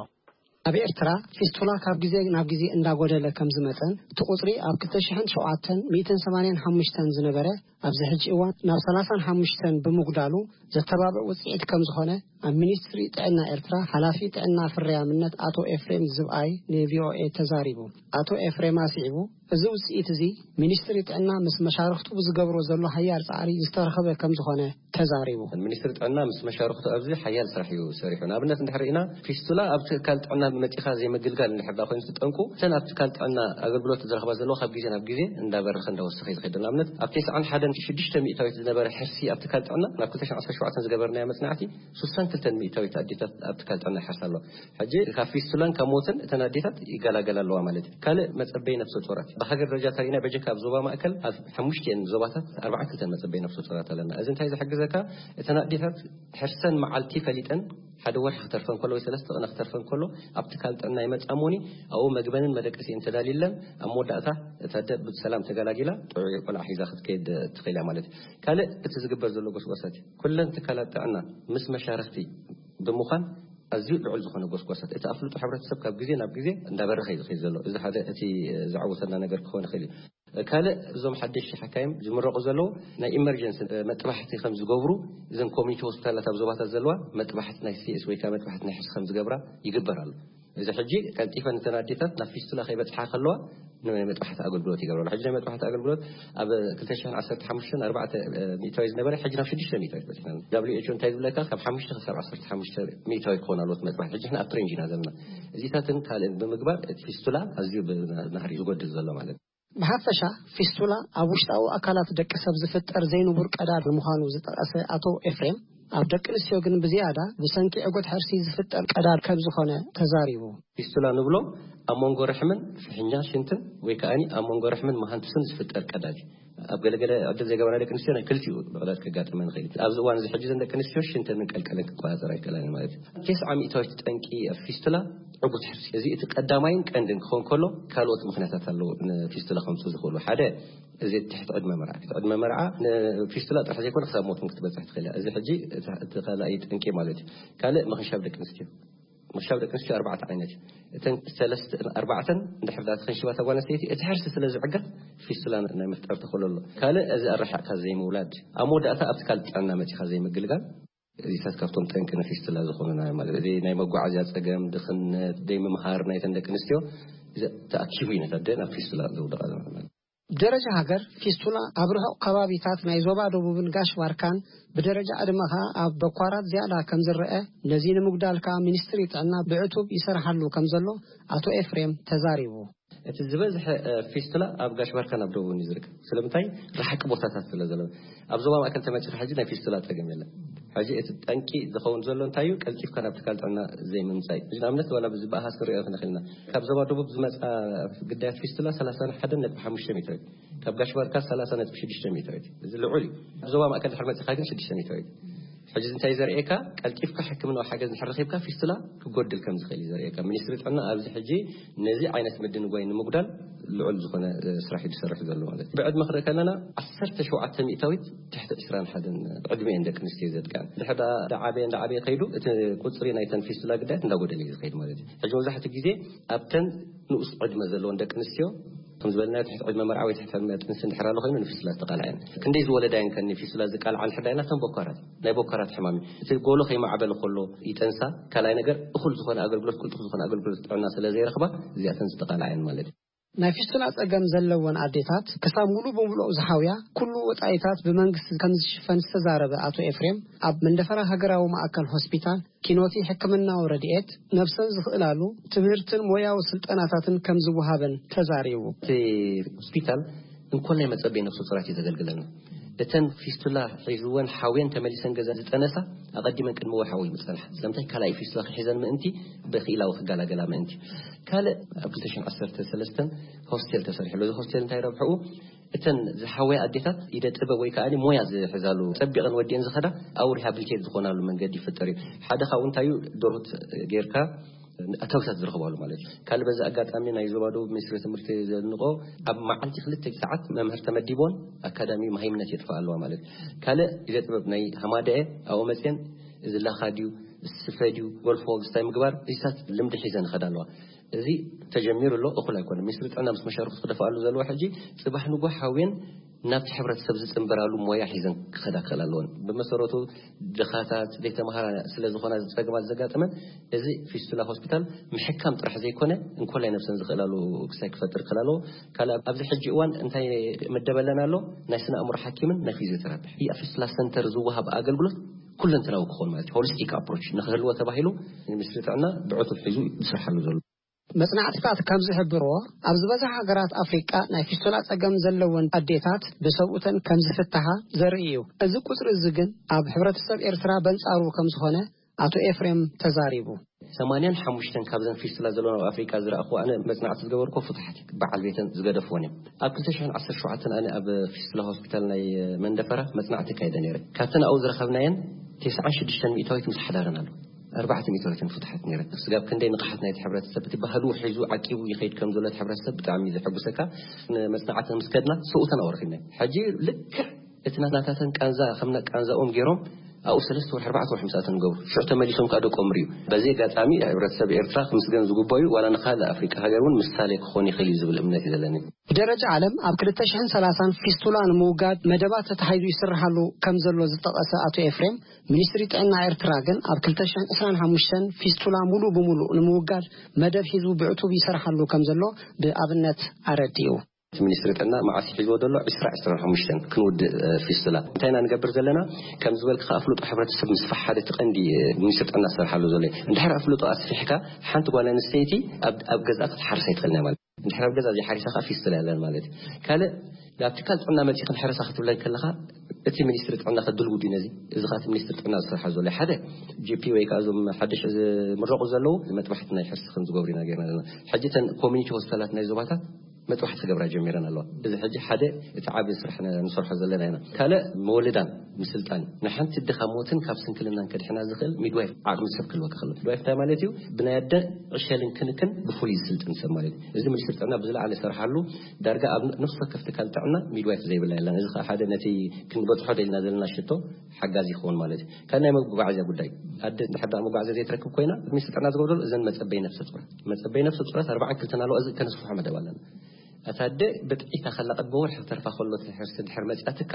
ኣብ ኤርትራ ፊስቱላ ካብ ግዜ ናብ ግዜ እንዳጎደለ ከም ዝመጸን እቲ ቁጽሪ ኣብ ክልተ ሽሕን ሸውዓተን ሚእትን ሰማንያን ሓሙሽተን ዝነበረ ኣብዚ ሕጂ እዋን ናብ ሰላሳን ሓሙሽተን ብምጉዳሉ ዘተባብዕ ውጽኢት ከም ዝኾነ ኣብ ሚኒስትሪ ጥዕና ኤርትራ ሓላፊ ጥዕና ፍርያምነት ኣቶ ኤፍሬም ዝብኣይ ንቪኦኤ ተዛሪቡ። ኣቶ ኤፍሬም ኣስዒቡ፣ እዚ ውጽኢት እዚ ሚኒስትሪ ጥዕና ምስ መሻርኽቱ ብዝገብሮ ዘሎ ሓያል ጻዕሪ ዝተረኸበ ከም ዝኾነ ተዛሪቡ። ሚኒስትሪ ጥዕና ምስ መሻርኽቱ ኣብዚ ሓያል ስራሕ እዩ ሰሪሑ። ንኣብነት እንድሕር ርኢና ፊስቱላ ኣብ ትካል ጥዕና መጺኻ ዘይምግልጋል እንድሕር ደኣ ኮይኑ እቲ ጠንቁ፣ እተን ኣብ ትካል ጥዕና ኣገልግሎት ዝረኽባ ዘለዋ ካብ ግዜ ናብ ግዜ እንዳበረኸ እንዳወሰኸ እዩ ዝኸይድ። ንኣብነት ኣብ ተስዓን ሓደን ሽዱሽተ ሚእታዊት ዝነበረ ሕርሲ ኣብ ትካል ጥዕና ናብ ክልተ ሽሕን ዓሰርተ ሸውዓተን ዝገበርናዮ መጽናዕቲ ሱሳን ክልተ ሚእታዊት ኣዴታት ኣብ ትካል ጥዕና ይሓርሳ ኣለዋ። ሕጂ ካብ ፊስቱላን ካብ ሞትን እተን ኣዴታት ይገላገላ ኣለዋ ማለት እዩ። ካልእ መጸበይ ነፍሰ ጡራት ብሃገር ደረጃ ተሪእና በጀካ ኣብ ዞባ ማእከል ኣብ ሓሙሽቲኤን ዞባታት ኣርባዓን ክልተን መጸበይ ነፍሰ ጡራት ኣለና። እዚ እንታይ ዝሕግዘካ? እተን ኣዴታት ሕርሰን መዓልቲ ፈሊጠን ሓደ ወርሒ ክተርፈን ከሎ ወይ ሰለስተ ቅነ ክተርፈን ከሎ ኣብ ትካል ጥዕና ይመጻ እሞኒ ኣብኡ መግበንን መደቀሲን ተዳልዩለን ኣብ መወዳእታ እታ ኣደ ብሰላም ተገላጊላ ጥዑይ ቆልዓ ሒዛ ክትከይድ ትኽእል እያ ማለት እዩ። ካልእ እቲ ዝግበር ዘሎ ጎስጓሳት እዩ። ኩለን ትካላት ጥዕና ምስ መሻርኽቲ ብምዃን ኣዝዩ ልዑል ዝኾነ ጎስጓሳት እቲ ኣፍልጦ ሕብረተሰብ ካብ ግዜ ናብ ግዜ እንዳበረኸ እዩ ዝኸይድ ዘሎ። እዚ ሓደ እቲ ዘዕውተና ነገር ክኾን ይኽእል እዩ። ካልእ እዞም ሓደሽቲ ሓካይም ዝምረቑ ዘለዉ ናይ ኢመርጀንሲ መጥባሕቲ ከም ዝገብሩ እዘን ኮሚኒቲ ሆስፒታላት ኣብ ዞባታት ዘለዋ መጥባሕቲ ናይ ሲኤስ ወይ ከዓ መጥባሕቲ ናይ ሕርሲ ከም ዝገብራ ይግበር ኣሎ። እዚ ሕጂ ቀልጢፈን እተን ኣዴታት ናብ ፊስቱላ ከይበፅሓ ከለዋ ናይ መጥባሕቲ ኣገልግሎት ይገብረሉ። ሕጂ ናይ መጥባሕቲ ኣገልግሎት ኣብ ክልተ ሽሕን ዓሰርተ ሓሙሽተን ኣርባዕተ ሚእታዊ ዝነበረ ሕጂ ናብ ሽዱሽተ ሚእታዊ በፂሕና። ደብሊው ኤች ኦ እንታይ ዝብለካ ካብ ሓሙሽተ ክሳብ ዓሰርተ ሓሙሽተ ሚእታዊ ክኾን ኣለዎት መጥባሕቲ። ሕጂ ንሕና ኣብቲ ሬንጅ ኢና ዘለና። እዚታትን ካልእን ብምግባር እቲ ፊስቱላ ኣዝዩ ብናህሪ ዝጎድል ዘሎ ማለት እዩ። ብሓፈሻ ፊስቱላ ኣብ ውሽጣዊ ኣካላት ደቂ ሰብ ዝፍጠር ዘይንቡር ቀዳድ ምዃኑ ዝጠቐሰ ኣቶ ኤፍሬም፣ ኣብ ደቂ ኣንስትዮ ግን ብዝያዳ ብሰንኪ ዕጉት ሕርሲ ዝፍጠር ቀዳድ ከም ዝኾነ ተዛሪቡ። ፊስቱላ ንብሎ ኣብ መንጎ ርሕምን ፍሕኛ ሽንትን ወይ ከኣኒ ኣብ መንጎ ርሕምን መሃንቱስን ዝፍጠር ቀዳድ እዩ። ኣብ ገለገለ ዕድል ዘይገበራ ደቂ ኣንስትዮ ናይ ክልቲኡ ብቕዳድ ከጋጥመን ይኽእል እዩ። ኣብዚ እዋን እዚ ሕጂ ዘን ደቂ ኣንስትዮ ሽንተንን ቀልቀለን ክቆጻጸራ ኣይክእላን ማለት እዩ። ተስዓ ሚእታዊት ጠንቂ ፊስቱላ ዕጉት ሕርሲ። እዚ እቲ ቀዳማይን ቀንድን ክኸውን ከሎ ካልኦት ምኽንያታት ኣለዉ ንፊስቱላ ከምፅኡ ዝኽእሉ። ሓደ እዚ ትሕቲ ዕድመ መርዓ። ትሕቲ ዕድመ መርዓ ንፊስቱላ ጥራሕ ዘይኮነ ክሳብ ሞት እውን ክትበፅሕ ትኽእል እያ። እዚ ሕጂ እቲ እቲ ካልኣይ ጠንቂ ማለት እዩ። ካልእ ምኽንሻብ ደቂ ኣንስትዮ። ምኽንሻብ ደቂ ኣንስትዮ ኣርባዕተ ዓይነት እዩ። እተን ሰለስተ ኣርባዕተን እንድሕር ደኣ ተኸንሽባ እታ ጓል ኣንስተይቲ እቲ ሕርሲ ስለ ዝዕገት ፊስቱላ ናይ ምፍጣር ተኽእሎ ኣሎ። ካልእ እዚ ኣረሓቕካ ዘይምውላድ። ኣብ መወዳእታ ኣብቲ ካልእ ጥዕና መፂኻ ዘይምግልጋል። እዚታት ካብቶም ጠንቂ ንፊስቱላ ዝኾኑና ማለት እዚ ናይ መጓዓዝያ ጸገም፣ ድኽነት፣ ደይ ምምሃር ናይተን ደቂ ኣንስትዮ እዚ ተኣኪቡ እዩ ነታ ኣደ ናብ ፊስቱላ ዘውድቓ ማለት። ብደረጃ ሃገር ፊስቱላ ኣብ ርሑቕ ከባቢታት ናይ ዞባ ደቡብን ጋሽ ባርካን ብደረጃ ዕድመ ከኣ ኣብ በኳራት ዝያዳ ከም ዝረአ፣ ነዚ ንምጉዳል ከኣ ሚኒስትሪ ጥዕና ብዕቱብ ይሰርሓሉ ከም ዘሎ ኣቶ ኤፍሬም ተዛሪቡ። እቲ ዝበዝሐ እ፣ ፊስቱላ ኣብ ጋሽ ባርካን ኣብ ደቡብን እዩ ዝርከብ። ስለምንታይ? ርሓቂ ቦታታት ስለ ዘሎ። ኣብ ዞባ ማእከል ተመጺኻ ሕጂ ናይ ፊስቱላ ጸገም የለን። ሕጂ እቲ ጠንቂ ዝኸውን ዘሎ እንታይ እዩ? ቀልጢፍካ ናብ ትካል ጥዕና ዘይምምጻይ። ሕጂ ንኣብነት ዋላ ብዚ ብኣሃዝ ክንሪኦ ክንኽእል ኢና። ካብ ዞባ ደቡብ ዝመጻ ግዳያት ፊስቱላ ሰላሳ ሓደን ነጥቢ ሓሙሽተ ሜትር እዩ። ካብ ጋሽ ባርካ ሰላሳ ነጥቢ ሽዱሽተ ሜትር እዩ። እዚ ልዑል እዩ። ኣብ ዞባ ማእከል ድሕር መጺኻ ግን ሽዱሽተ ሜትር እዩ። ሕጂ እዚ እንታይ ዘርእየካ? ቀልጢፍካ ሕክምናዊ ሓገዝ እንድሕር ረኺብካ ፊስቱላ ክጎድል ከም ዝኽእል እዩ ዘርእየካ። ሚኒስትሪ ጥዕና ኣብዚ ሕጂ ነዚ ዓይነት ምድንጓይ ንምጉዳል ልዑል ዝኾነ እ፣ ስራሕ እዩ ዝሰርሕ ዘሎ ማለት እዩ። ብዕድመ ክርኢ ከለና ዓሰርተ ሸውዓተ ሚእታዊት ትሕቲ ዕስራን ሓደን ዕድመ እየን ደቂ ኣንስትዮ ዘጥቅዐን። ድሕር ዳ ዓበየ እንዳ ዓበየ ከይዱ እቲ ቁፅሪ ናይተን ፊስቱላ ግዳያት እንዳጎደለ እዩ ዝኸይድ ማለት እዩ። ሕጂ መብዛሕትኡ ግዜ ኣብተን ንኡስ ዕድመ ዘለወን ደቂ ኣንስትዮ ከም ዝበልና ትሕቲ ዕድመ መርዓ ወይ ትሕቲ ዕድመ ጥንሲ እንድሕር ኣሎ ኮይኑ ንፊስቱላ ዝተቃልዐን። ክንደይ ዝወለዳ እየን ከኒ ፊስቱላ ዝቃልዓ እንድሕር ዳይና እተን ቦካራት ናይ ቦካራት ሕማም እዩ። እቲ ጎሎ ከይማዕበለ ከሎ ይጠንሳ። ካልኣይ ነገር እኹል ዝኾነ ኣገልግሎት ቅልጡፍ ዝኾነ ኣገልግሎት ጥዕና ስለ ዘይረኽባ እዚኣተን ዝተቃልዓ እየን ማለት እዩ። ናይ ፊስቱላ ጸገም ዘለወን ኣዴታት ክሳብ ሙሉ ብምሉእ ዝሓውያ ኩሉ ወጻኢታት ብመንግስቲ ከም ዝሽፈን ዝተዛረበ ኣቶ ኤፍሬም፣ ኣብ መንደፈራ ሃገራዊ ማእከል ሆስፒታል ኪኖቲ ሕክምናዊ ረድኤት ነብሰን ዝኽእላሉ ትምህርትን ሞያዊ ስልጠናታትን ከም ዝወሃበን ተዛሪቡ። እቲ ሆስፒታል እንኮላይ መጸበይ ነፍሰ ጡራት እዩ ዘገልግለና። እተን ፊስቱላ ሒዝወን ሓውየን ተመሊሰን ገዛ ዝጠነሳ ኣቐዲመን ቅድሚ ወርሒ ወይ ምጸንሓ። ስለምንታይ? ካልኣይ ፊስቱላ ክሒዘን ምእንቲ ብክኢላዊ ክገላገላ ምእንቲ። ካልእ ኣብ ክልተ ሽሕን ዓሰርተ ሰለስተን ሆስቴል ተሰሪሑ ኣሎ። እዚ ሆስቴል እንታይ ረብሕኡ? እተን ዝሓወያ ኣዴታት ኢደ ጥበብ ወይ ከኣ ሞያ ዝሕዛሉ ጸቢቐን ወዲኤን ዝኸዳ ኣብኡ ሪሃብሊቴት ዝኾናሉ መንገዲ ይፍጠር እዩ። ሓደ ካብኡ እንታይ እዩ? ዶርት ጌርካ ኣታዊታት ዝረኽባሉ ማለት እዩ። ካልእ በዚ ኣጋጣሚ ናይ ዞባ ደቡብ ሚኒስትሪ ትምህርቲ ዘድንቆ ኣብ መዓልቲ ክልተ ሰዓት መምህር ተመዲቦን ኣካዳሚ መሃይምነት የጥፋ ኣለዋ ማለት እዩ። ካልእ ኢደ ጥበብ ናይ ሃማደኤ ኣብኡ መፅየን እዚ ላኻ ድዩ ስፈ ድዩ ጎልፎ ክስታይ ምግባር እዚታት ልምዲ ሒዘን ይኸዳ ኣለዋ። እዚ ተጀሚሩ ኣሎ፣ እኹል ኣይኮነን። ሚኒስትሪ ጥዕና ምስ መሻርክቱ ክደፍኣሉ ዘለዎ ሕጂ ጽባሕ ንጎ ሓውየን ናብቲ ሕብረተሰብ ዝጽንበራሉ ሞያ ሒዘን ክኸዳ ክኽእል ኣለወን። ብመሰረቱ ድኻታት ዘይተምሃራ ስለ ዝኾና እዚ ጸገማት ዘጋጠመን እዚ ፊስቱላ ሆስፒታል ምሕካም ጥራሕ ዘይኮነ እንኮላይ ነብሰን ዝኽእላሉ ክሳይ ክፈጥር ክእል ኣለዎ። ካልእ ኣብዚ ሕጂ እዋን እንታይ ምደበለን ኣሎ? ናይ ስነ ኣእምሮ ሓኪምን ናይ ፊዚዮቴራፒ። ኣብ ፊስቱላ ሰንተር ዝወሃብ ኣገልግሎት ኩለንተናዊ ክኸውን ማለት እዩ። ሆሊስቲክ ኣፕሮች ንክህልዎ ተባሂሉ ሚኒስትሪ ጥዕና ብዕቱብ ሒዙ ዝሰርሓሉ ዘሎ። መጽናዕትታት ከም ዝሕብርዎ፣ ኣብ ዝበዝሓ ሃገራት ኣፍሪቃ ናይ ፊስቱላ ጸገም ዘለወን ኣዴታት ብሰብኡተን ከም ዝፍትሓ ዘርኢ እዩ። እዚ ቁጽሪ እዚ ግን ኣብ ሕብረተሰብ ኤርትራ በንጻሩ ከም ዝኾነ ኣቶ ኤፍሬም ተዛሪቡ። ሰማንያን ሓሙሽተን ካብዘን ፊስቱላ ዘለዋ ኣብ ኣፍሪቃ ዝረኣኹ ኣነ መጽናዕቲ ዝገበርኩ ፍቱሓት በዓል ቤተን ዝገደፍዎን እዮም። ኣብ ክልተ ሽሕን ዓሰርተ ሸውዓተን ኣነ ኣብ ፊስቱላ ሆስፒታል ናይ መንደፈራ መጽናዕቲ ካይደ ነይረ። ካብተን ኣብኡ ዝረኸብናየን ተስዓን ሽዱሽተን ሚእታዊት ምስ ሓዳረን ኣሎ። ኣርባዕተ ሚእታዊትን ፍቱሓት ነይረን። ስጋብ ክንደይ ንቕሓት ናይቲ ሕብረተሰብ እቲ ባህሉ ሒዙ ዓቂቡ ይኸይድ ከም ዘሎ እቲ ሕብረተሰብ ብጣዕሚ ዘሐጉሰካ። ንመጽናዕቲ ምስ ከድና ሰብኡተን ኣውረኺብና። ሕጂ ልክዕ እቲ ናታተን ቃንዛ ከም ቃንዛኦም ገይሮም ኣብኡ ሰለስተ ወርሒ ኣርባዕተ ወርሒ ምስኣተን ገብሩ ሽዑ ተመሊሶም ከዓ ደቆም ርእዩ። በዚ ኣጋጣሚ ሕብረተሰብ ኤርትራ ክምስገን ዝግባዩ ዋላ ንካልእ ኣፍሪቃ ሃገር እውን ምሳሌ ክኾን ይኽእል እዩ ዝብል እምነት እዩ ዘለኒ። ብደረጃ ዓለም ኣብ ክልተ ሽሕን ሰላሳን ፊስቱላ ንምውጋድ መደባት ተታሒዙ ይስርሓሉ ከም ዘሎ ዝጠቐሰ ኣቶ ኤፍሬም፣ ሚኒስትሪ ጥዕና ኤርትራ ግን ኣብ ክልተ ሽሕን ዕስራን ሓሙሽተን ፊስቱላ ሙሉእ ብሙሉእ ንምውጋድ መደብ ሒዙ ብዕቱብ ይሰርሓሉ ከም ዘሎ ብኣብነት ኣረዲኡ። እቲ ሚኒስትሪ ጥዕና መዓስ ሒዝዎ ዘሎ? ዕስራ ዕስራን ሓሙሽተን ክንውድእ ፊስቱላ። እንታይ ኢና ንገብር ዘለና? ከም ዝበልክኻ ኣፍልጦ ሕብረተሰብ ምስፋሕ ሓደ እቲ ቀንዲ ሚኒስትሪ ጥዕና ዝሰርሓሉ ዘሎ እዩ። እንድሕር ኣፍልጦ ኣስፊሕካ ሓንቲ ጓል ኣንስተይቲ ኣብ ገዛኣ ክትሓርስ ኣይትኽእልን እያ ማለት። እንድሕር ኣብ ገዛ ዘይሓሪሳ ከዓ ፊስቱላ የለን ማለት እዩ። ካልእ ናብ ትካል ጥዕና መፂእኽን ሕረሳ ክትብለኒ ከለኻ እቲ ሚኒስትሪ ጥዕና ከድልውድ እዩ ነዚ። እዚ ከዓ እቲ ሚኒስትሪ ጥዕና ዝሰርሓ ዘሎ ሓደ ጂፒ ወይ ከዓ እዞም ሓደሽ ዝምረቑ ዘለዉ መጥባሕቲ ናይ ሕርሲ ከም ዝገብሩ ኢና ገይርና ዘለና። ሕጂ እተን ኮሚኒቲ ሆስፒታላት ናይ ዞባታት መጥባሕቲ ክገብራ ጀሚረን ኣለዋ። እዚ ሕጂ ሓደ እቲ ዓቢ ስራሕ ንሰርሖ ዘለና ኢና። ካልእ መወልዳን ምስልጣን ንሓንቲ ድኻ ሞትን ካብ ስንክልናን ከድሕና ዝኽእል ሚድዋይፍ ዓቕሚ ሰብ ክህልወካ ከሎ። ሚድዋይፍ እንታይ ማለት እዩ? ብናይ ኣደ ዕሸልን ክንክን ብፍሉይ ዝስልጥን ሰብ ማለት እዩ። እዚ ሚኒስትሪ ጥዕና ብዝለዓለ ዝሰርሓሉ ዳርጋ ኣብ ነፍሲ ወከፍ ትካል ጥዕና ሚድዋይፍ ዘይብላ የላን። እዚ ከዓ ሓደ ነቲ ክንበፅሖ ደልና ዘለና ሽቶ ሓጋዚ ይኸውን ማለት እዩ። ካብ ናይ መጓዓዝያ ጉዳይ ኣደ እንድሕር ደኣ መጓዓዝያ ዘይትረክብ ኮይና ሚኒስትሪ ጥዕና ዝገብረሉ እዘን መፀበይ ነፍሰ ጡራት መፀበይ ነፍሰ ጡራት ኣርባዓን ክልተን ኣለዋ። እዚ ከነስፍሖ መደብ ኣለና። እታ ኣደ ብጥዒታ ከላ ቅድሚ ወርሒ ክተርፋ ከሎ እቲ ሕርሲ ድሕር መፅኣትካ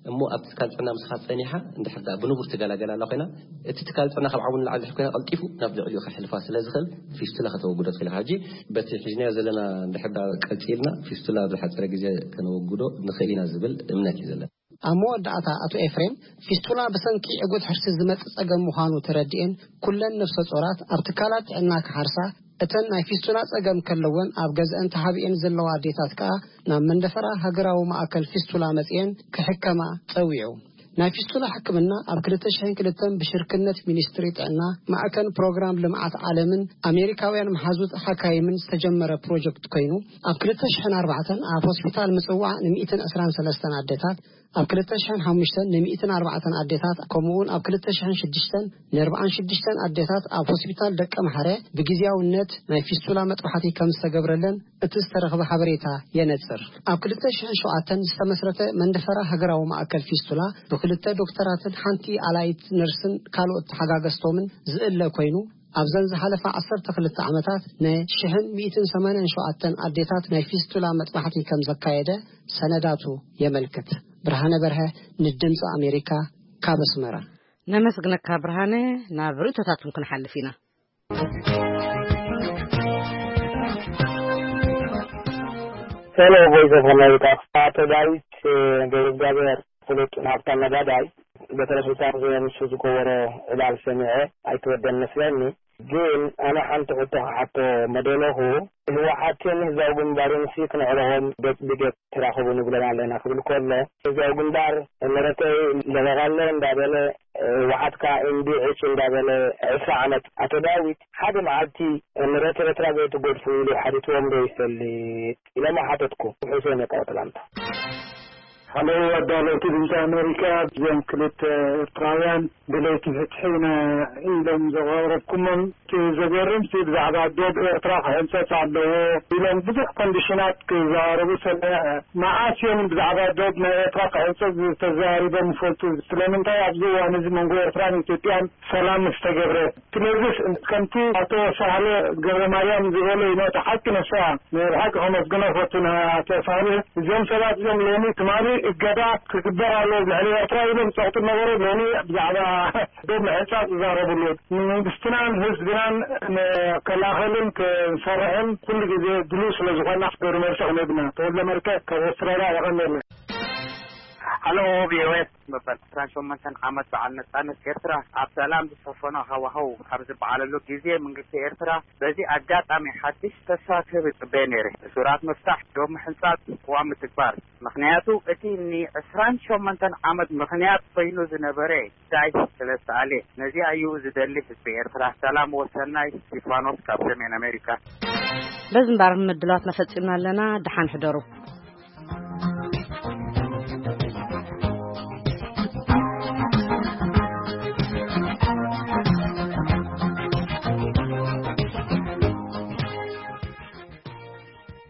እሞ ኣብ ትካል ጥዕና ምስኻ ፀኒሓ እንድሕር ደኣ ብንቡር ትገላገል ኣላ ኮይና እቲ ትካል ጥዕና ካብ ዓቕሙ ንላዕሊ ድሕር ኮይና ቀልጢፉ ናብ ልዕሊኡ ከሕልፋ ስለ ዝኽእል ፊስቱላ ከተወግዶ ትኽእል ኢኻ። ሕጂ በቲ ሒዝናዮ ዘለና እንድሕር ደኣ ቀፂልና ፊስቱላ ኣብ ዝሓፀረ ግዜ ከነወግዶ ንኽእል ኢና ዝብል እምነት እዩ ዘለና። ኣብ መወዳእታ ኣቶ ኤፍሬም ፊስቱላ ብሰንኪ ዕጉት ሕርሲ ዝመጽእ ጸገም ምዃኑ ተረዲኤን ኩለን ነፍሰ ጾራት ኣብ ትካላት ጥዕና ክሓርሳ እተን ናይ ፊስቱላ ጸገም ከለወን ኣብ ገዝአን ተሓቢኤን ዘለዋ ኣዴታት ከኣ ናብ መንደፈራ ሃገራዊ ማእከል ፊስቱላ መጺኤን ክሕከማ ጸዊዑ። ናይ ፊስቱላ ሕክምና ኣብ ክልተ ሽሕን ክልተን ብሽርክነት ሚኒስትሪ ጥዕና፣ ማዕከን ፕሮግራም ልምዓት ዓለምን ኣሜሪካውያን መሓዙት ሓካይምን ዝተጀመረ ፕሮጀክት ኮይኑ፣ ኣብ ክልተ ሽሕን ኣርባዕተን ኣብ ሆስፒታል ምጽዋዕ ን ሚእትን ዕስራን ሰለስተን ኣዴታት፣ ኣብ ክልተ ሽሕን ሓሙሽተን ን ሚእትን ኣርባዕተን ኣዴታት፣ ከምኡውን ኣብ ክልተ ሽሕን ሽዱሽተን ን ኣርባዓን ሽዱሽተን ኣዴታት ኣብ ሆስፒታል ደቀምሓረ ብግዝያውነት ናይ ፊስቱላ መጥባሕቲ ከም ዝተገብረለን እቲ ዝተረኽበ ሓበሬታ የነጽር። ኣብ ክልተ ሽሕን ሸውዓተን ዝተመስረተ መንደፈራ ሃገራዊ ማእከል ፊስቱላ ብክልተ ዶክተራትን ሓንቲ ኣላይት ነርስን ካልኦት ተሓጋገዝቶምን ዝእለ ኮይኑ፣ ኣብዘን ዝሓለፋ ዓሰርተ ክልተ ዓመታት ን ሽሕን ሚእትን ሰማንያን ሸውዓተን ኣዴታት ናይ ፊስቱላ መጥባሕቲ ከም ዘካየደ ሰነዳቱ የመልክት። ብርሃነ በርሀ ንድምፂ ኣሜሪካ ካብ ኣስመራ። ነመስግነካ ብርሃነ። ናብ ርእቶታት እውን ክንሓልፍ ኢና። ሄሎ፣ ቮይስ ኦፍ ኣሜሪካ። ኣቶ ዳዊት ገብረ እግዚኣብሔር ፍሉጥ ናፍታ ነጋዳይ በተለይ ስልጣን ዘየንሱ ዝገበሮ ዕላል ሰሚዐ ኣይተወደን መስለኒ። ግን ኣነ ሓንቲ ሕቶ ክሓቶ መደለኹ፣ ህወሓትን ህዝባዊ ግንባርን ሲ ክነዕረቖም ገጽ ብገጽ ተራኸቡ ንብሎም ኣለና ክብል ከሎ፣ ህዝባዊ ግንባር መረተይ ለበቓለ እንዳበለ፣ ህወሓት ከኣ እምቢ ዕጭ እንዳበለ ዕስራ ዓመት። ኣቶ ዳዊት፣ ሓደ መዓልቲ መሬት ኤርትራ ዘይትገድፉ ኢሉ ሓቲትዎም ዶ ይፈልጥ? ኢሎም ሓተትኩ። ሕሶን የቃወጥላምታ። ሓለዉ ኣዳለውቲ ድምፂ ኣሜሪካ፣ እዞም ክልተ ኤርትራውያን ደለይቲ ፍትሒ ኢና ኢሎም ዘቕረብኩሞም፣ እቲ ዘገርም ሲ ብዛዕባ ዶብ ኤርትራ ክሕንፀፅ ኣለዎ ኢሎም ብዙሕ ኮንዲሽናት ክዘራረቡ ሰሚዐ። መዓስ እዮም ብዛዕባ ዶብ ናይ ኤርትራ ክሕንፀፅ ተዘራሪቦም ይፈልጡ? ስለምንታይ ኣብዚ እዋን እዚ መንጎ ኤርትራን ኢትዮጵያን ሰላም ምስ ተገብረ? ስለዚስ ከምቲ ኣቶ ሳህለ ገብረ ማርያም ዝበሎ እዩ፣ እቲ ሓቂ ንሳ። ናይ ብሓቂ ከመስግኖ ፈቱ ንኣቶ ሳህለ። እዚኦም ሰባት እዚኦም ሎሚ ትማሊ እገዳ ክግበር ኣለዎ ልዕሊ ኤርትራ ኢሎም ዝጸቕጡ ነበሩ። ሎሚ ብዛዕባ ዶብ ምሕንጻጽ ዝዛረብሉ። ንመንግስትናን ህዝብናን ንከላኸልን ክንሰርሕን ኩሉ ግዜ ድሉው ስለ ዝኾንና፣ ግብሪ መልሲ ክንህብና። ተወልደ መርቀ ካብ ኣውስትራልያ። የቐንየለይ። ሃሎ፣ ቪኦኤ። መበል ዕስራን ሸሞንተን ዓመት በዓል ነጻነት ኤርትራ ኣብ ሰላም ዝሰፈኖ ሃዋህው ኣብ ዝበዓለሉ ግዜ፣ መንግስቲ ኤርትራ በዚ ኣጋጣሚ ሓድሽ ተስፋ ክህብ ይጽበየ ነይረ። እሱራት ምፍታሕ፣ ዶብ ምሕንጻጽ፣ ቅዋም ምትግባር። ምኽንያቱ እቲ ንዕስራን ሸሞንተን ዓመት ምኽንያት ኮይኑ ዝነበረ ጉዳይ ስለ ዝተኣልየ። ነዚኣ እዩ ዝደሊ ህዝቢ ኤርትራ። ሰላም ወሰናይ። ስቲፋኖስ ካብ ሰሜን ኣሜሪካ። በዚ እምበኣር ምድላዋትና ፈጺምና ኣለና። ደሓን ሕደሩ።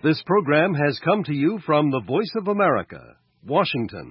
This program has come to you from the Voice of America, Washington.